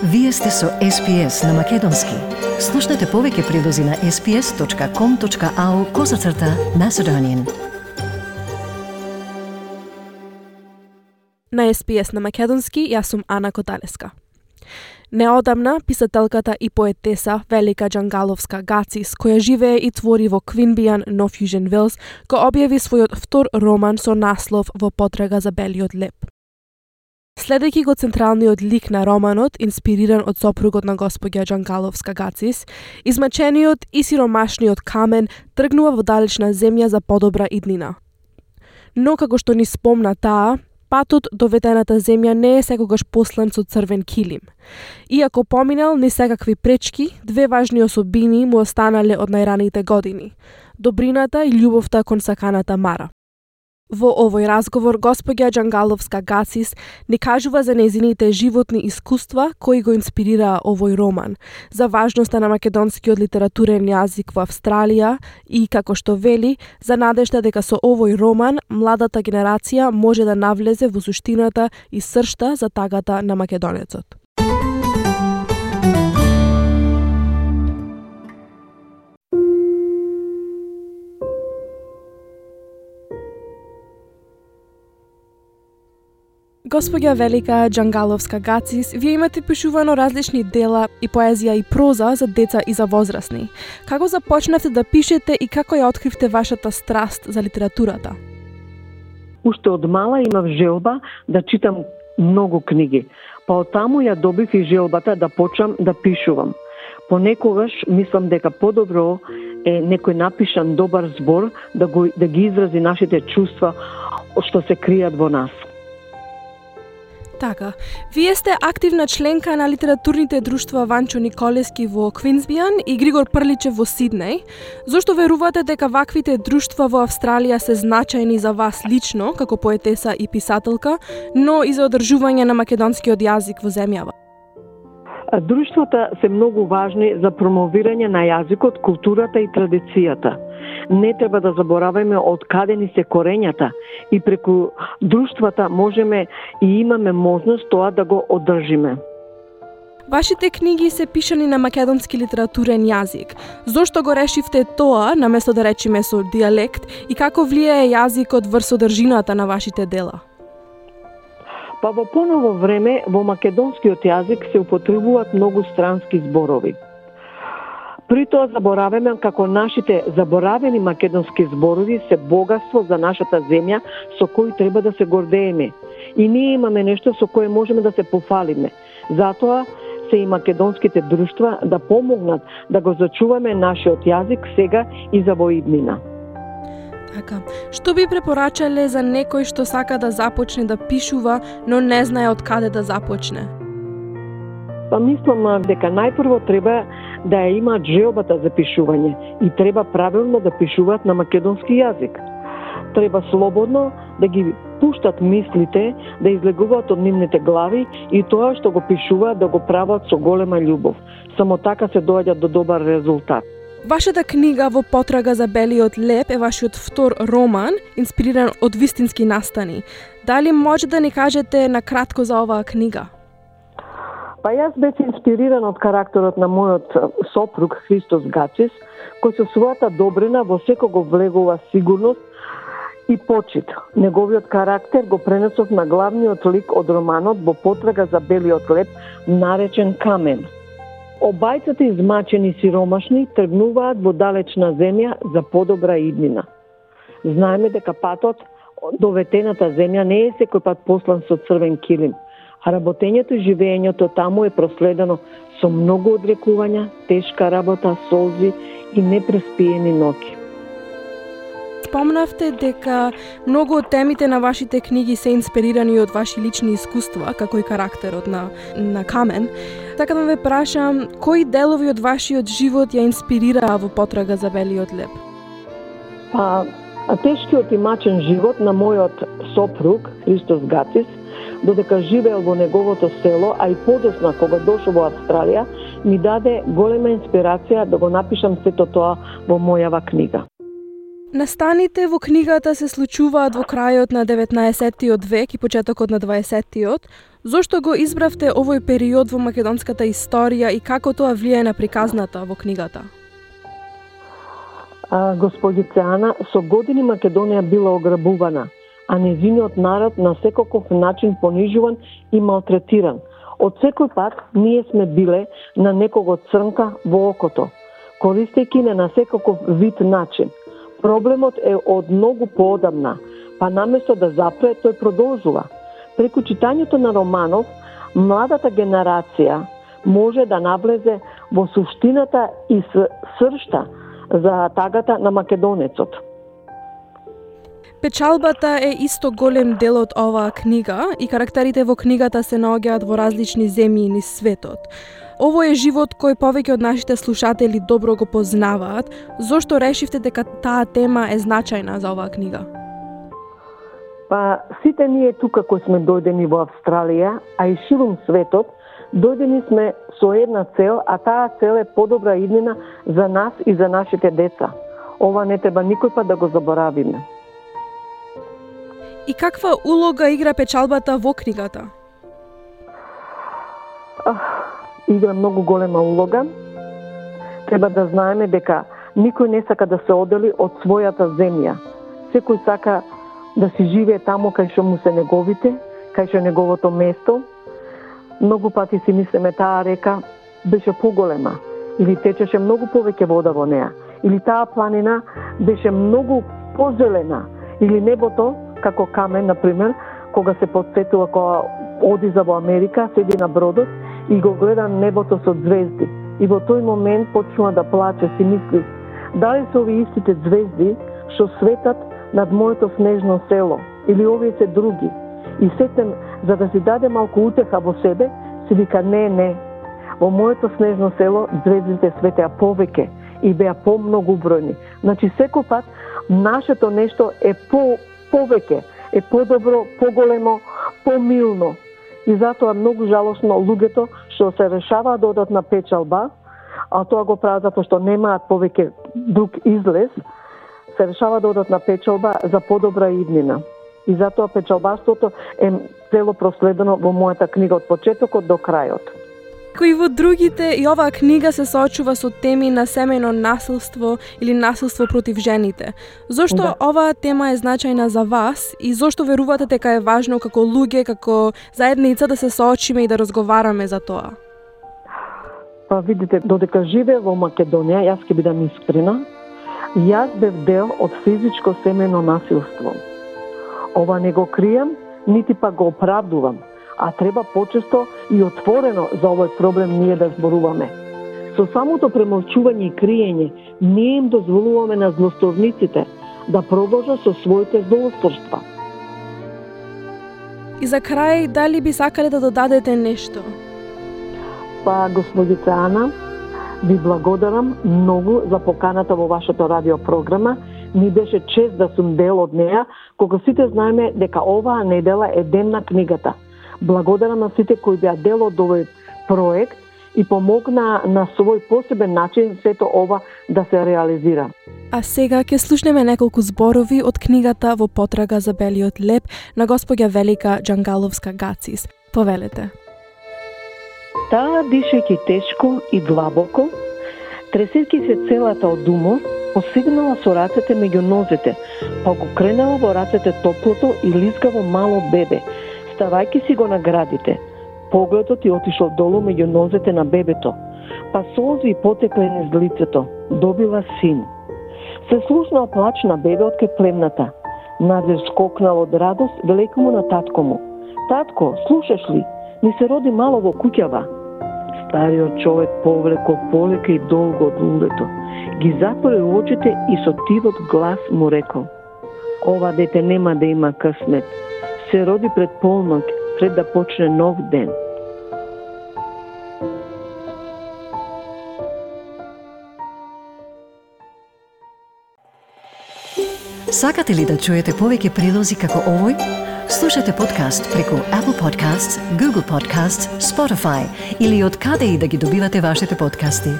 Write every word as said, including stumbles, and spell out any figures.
Вие сте со Ес Пи Ес на Македонски. Слушнете повеќе прилози на ес пи ес точка ком точка ау козацрта Macedonian. На Ес Пи Ес на Македонски, јас сум Ана Коталеска. Неодамна, писателката и поетеса Велика Джангаловска-Гацис, која живее и твори во Квинбијан, Нов Јужен Велс, го објави својот втор роман со наслов Во потрага за белиот леп. Следејќи го централниот лик на романот, инспириран од сопругот на господја Джангаловска-Гацис, измачениот и сиромашниот Камен тргнува во далечна земја за подобра иднина. Но како што ни спомна таа, патот до ветената земја не е секогаш послан со црвен килим. Иако поминал ни секакви пречки, две важни особини му останале од најраните години – добрината и љубовта кон саканата Мара. Во овој разговор, господја Джангаловска-Гацис ни кажува за нејзините животни искуства кои го инспирираа овој роман, за важноста на македонскиот литературен јазик во Австралија и, како што вели, за надежда дека со овој роман младата генерација може да навлезе во суштината и сршта за тагата на македонецот. Господја Велика Джангаловска-Гацис, вие имате пишувано различни дела и поезија и проза за деца и за возрастни. Како започнавте да пишете и како ја откривте вашата страст за литературата? Уште од мала имав желба да читам многу книги, па оттаму ја добив и желбата да почнам да пишувам. Понекогаш мислам дека подобро е некој напишан добар збор да, го, да ги изрази нашите чувства што се кријат во нас. Така, вие сте активна членка на литературните друштва Ванчо Николески во Квинсбијан и Григор Прличев во Сиднеј. Зошто верувате дека ваквите друштва во Австралија се значајни за вас лично, како поетеса и писателка, но и за одржување на македонскиот јазик во земјава? Друштвата се многу важни за промовирање на јазикот, културата и традицијата. Не треба да забораваме од каде ни се корењата и преку друштвата можеме и имаме можност тоа да го одржиме. Вашите книги се пишани на македонски литературен јазик. Зошто го решивте тоа, наместо да речеме со дијалект, и како влијае јазикот врз содржината на вашите дела? Па во поново време во македонскиот јазик се употребуваат многу странски зборови. При тоа забораваме како нашите заборавени македонски зборови се богатство за нашата земја со кој треба да се гордееме. И ние имаме нешто со кое можеме да се пофалиме. Затоа се и македонските друштва да помогнат да го зачуваме нашиот јазик сега и за во иднина. Така, што би препорачале за некој што сака да започне да пишува, но не знае од каде да започне? Па мислам дека најпрво треба да ја имаат желбата за пишување и треба правилно да пишуваат на македонски јазик. Треба слободно да ги пуштат мислите, да излегуваат од нивните глави и тоа што го пишуваат да го прават со голема љубов. Само така се доаѓа до добар резултат. Вашата книга Во потрага за белиот леп е вашиот втор роман, инспириран од вистински настани. Дали може да ни кажете на кратко за оваа книга? Па јас бев инспириран од карактерот на мојот сопруг Христос Гацис, кој со својата добрина во секого влегува сигурност и почит. Неговиот карактер го пренесов на главниот лик од романот Во потрага за белиот леп, наречен Камен. Обајцата измачени сиромашни тргнуваат во далечна земја за подобра иднина. Знаеме дека патот до ветената земја не е секој пат послан со црвен килим, а работењето и живеењето таму е проследено со многу одрекувања, тешка работа, солзи и непреспиени ноќи. Спомнавте дека многу од темите на вашите книги се инспирирани од ваши лични искуства, како и карактерот на, на Камен. Така да ве прашам, кои делови од вашиот живот ја инспирираа Во потрага за белиот леп? Па, тешкиот и мачен живот на мојот сопруг Христос Гацис, додека живеел во неговото село, а и подосна кога дошол во Австралија, ми даде голема инспирација да го напишам сето тоа во мојава книга. Настаните во книгата се случуваат во крајот на деветнаесеттиот век и почетокот на дваесеттиот. Зошто го избравте овој период во македонската историја и како тоа влијае на приказната во книгата? А, господице Ана, со години Македонија била ограбувана, а незиниот народ на секаков начин понижуван и малтретиран. Од секој пат ние сме биле на некого црнка во окото, користејќи не на секаков вид начин. Проблемот е од многу поодамна, па наместо да запре, тој продолжува. Преку читањето на романов, младата генерација може да навлезе во суштината и сршта за тагата на македонецот. Печалбата е исто голем дел од оваа книга и карактерите во книгата се наоѓаат во различни земји низ светот. Овој е живот кој повеќе од нашите слушатели добро го познаваат. Зошто решивте дека таа тема е значајна за оваа книга? Па сите ние тука кои сме дојдени во Австралија, а и ширум светот, дојдени сме со една цел, а таа цел е подобра иднина за нас и за нашите деца. Ова не треба никој пат да го заборавиме. И каква улога игра печалбата во книгата? Ах, игра многу голема улога. Треба да знаеме дека никој не сака да се одели од својата земја. Секој сака да си живее таму кај што му се неговите, кај што е неговото место. Многу пати си мислиме таа река беше поголема, или течеше многу повеќе вода во неа, или таа планина беше многу позелена, или небото, како Камен, например, кога се подсетува, кога оди за во Америка, седи на бродот и го гледа небото со звезди. И во тој момент почнува да плаче, си мисли, дали се овие истите звезди што светат над моето снежно село, или овие се други. И сетем, за да си даде малку утеха во себе, си вика не, не. Во моето снежно село звездите светеа повеќе и беа помногу бројни. Значи секој пат нашето нешто е по повеќе, е подобро, поголемо, помилно. И затоа многу жалосно луѓето што се решаваат да одат на печалба, а тоа го прават затоа што немаат повеќе друг излез, се решава да одат на печалба за подобра иднина. И затоа печалбарството е цело проследено во мојата книга од почетокот до крајот. Кои во другите и оваа книга се соочува со теми на семејно насилство или насилство против жените. Зошто да. Оваа тема е значајна за вас и зошто верувате дека е важно како луѓе, како заедница да се соочиме и да разговараме за тоа? Па видите, додека живе во Македонија, јас ќе бидам искрена, јас бев дел од физичко семејно насилство. Ова не го кријам, нити па го оправдувам, а треба почесто и отворено за овој проблем ние да зборуваме. Со самото премолчување и криење, ние им дозволуваме на злосторниците да продолжат со своите злосторства. И за крај, дали би сакале да додадете нешто? Па, господица Ана, ви благодарам многу за поканата во вашата радиопрограма. Ми беше чест да сум дел од неа, кога сите знаеме дека оваа недела е ден на книгата. Благодарам на сите кои беа дел од овој проект и помогна на свој посебен начин сето ова да се реализира. А сега ќе слушнеме неколку зборови од книгата Во потрага за белиот леп на госпоѓа Велика Џангаловска-Гацис. Повелете. Таа дишејќи тешко и длабоко, тресејќи се целата од умор, посегнала со рацете меѓу нозете, па го кренала во рацете топлото и лизгаво мало бебе, ставајќи си го на градите. Погледот ја отишол долу меѓу нозете на бебето, па солзи потекле низ лицето. Добила син. Се слушнал плач на бебе од кај племната. Надеж скокнал од радост, велеко му на татко му. Татко, слушаш ли? Ни се роди мало во куќава. Стариот човек повлеко полека и долго од лулето. Ги затвори очите и со тивот глас му рекол: ова дете нема да има късмет. Се роди пред полнок, пред да почне нов ден. Сакате ли да чуете повеќе прилози како овој? Слушате подкаст преку Apple Podcasts, Google Podcasts, Spotify или од каде и да ги добивате вашите подкасти.